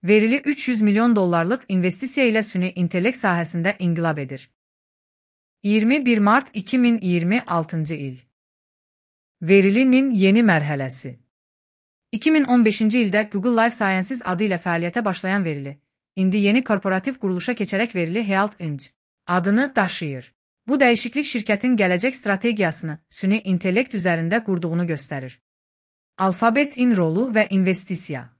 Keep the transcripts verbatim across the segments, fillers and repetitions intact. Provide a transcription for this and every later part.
Verili üç yüz milyon dollarlıq investisiya ilə süni intellekt sahəsində inqilab edir. iyirmi bir mart iki min iyirmi altıncı il. Verilinin yeni mərhələsi. iki min on beşinci ildə Google Life Sciences adı ilə fəaliyyətə başlayan Verili, indi yeni korporativ quruluşa keçərək Verili Health Inc adını daşıyır. Bu dəyişiklik şirkətin gələcək strategiyasını süni intellekt üzərində qurduğunu göstərir. Alphabet-in rolu və investisiya.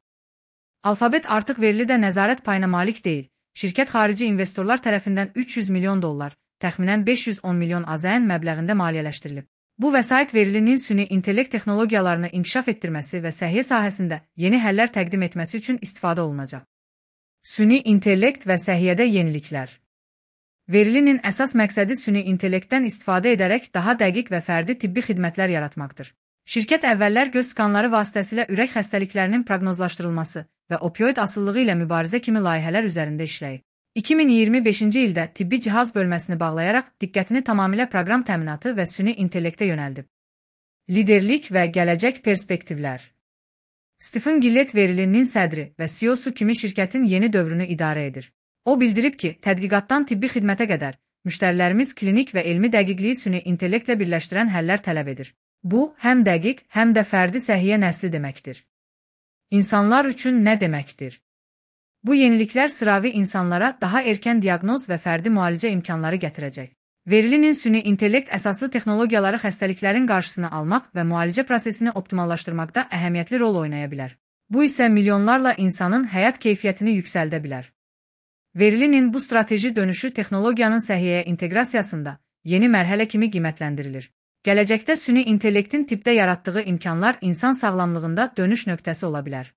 Alphabet artıq Verilidə nəzarət payına malik deyil. Şirkət xarici investorlar tərəfindən üç yüz milyon dollar, təxminən beş yüz on milyon AZN məbləğində maliyyələşdirilib. Bu vəsait Verilinin süni intellekt texnologiyalarını inkişaf etdirməsi və səhiyyə sahəsində yeni həllər təqdim etməsi üçün istifadə olunacaq. Süni intellekt və səhiyyədə yeniliklər. Verilinin əsas məqsədi süni intellektdən istifadə edərək daha dəqiq və fərdi tibbi xidmətlər yaratmaqdır. Şirkət əvvəllər göz skanları vasitəsilə ürək xəstəliklərinin proqnozlaşdırılması və opioid asılılığı ilə mübarizə kimi layihələr üzərində işləyib. iki min iyirmi beşinci ildə tibbi cihaz bölməsini bağlayaraq diqqətini tamamilə proqram təminatı və süni intellektə yönəldib. Liderlik və gələcək perspektivlər. Stephen Gillett Verilinin sədri və C E O-su kimi şirkətin yeni dövrünü idarə edir. O bildirib ki, tədqiqatdan tibbi xidmətə qədər müştərilərimiz klinik və elmi dəqiqliyi süni intellektlə birləşdirən həllər tələb edir. Bu, həm dəqiq, həm də fərdi səhiyyə nəsli deməkdir. İnsanlar üçün nə deməkdir? Bu yeniliklər sıravi insanlara daha erkən diaqnoz və fərdi müalicə imkanları gətirəcək. Verilinin süni intellekt əsaslı texnologiyaları xəstəliklərin qarşısını almaq və müalicə prosesini optimallaşdırmaqda əhəmiyyətli rol oynaya bilər. Bu isə milyonlarla insanın həyat keyfiyyətini yüksəldə bilər. Verilinin bu strateji dönüşü texnologiyanın səhiyyəyə inteqrasiyasında yeni mərhələ kimi qiymətləndirilir. Gələcəkdə süni intellektin tibbdə yaratdığı imkanlar insan sağlamlığında dönüş nöqtəsi ola bilər.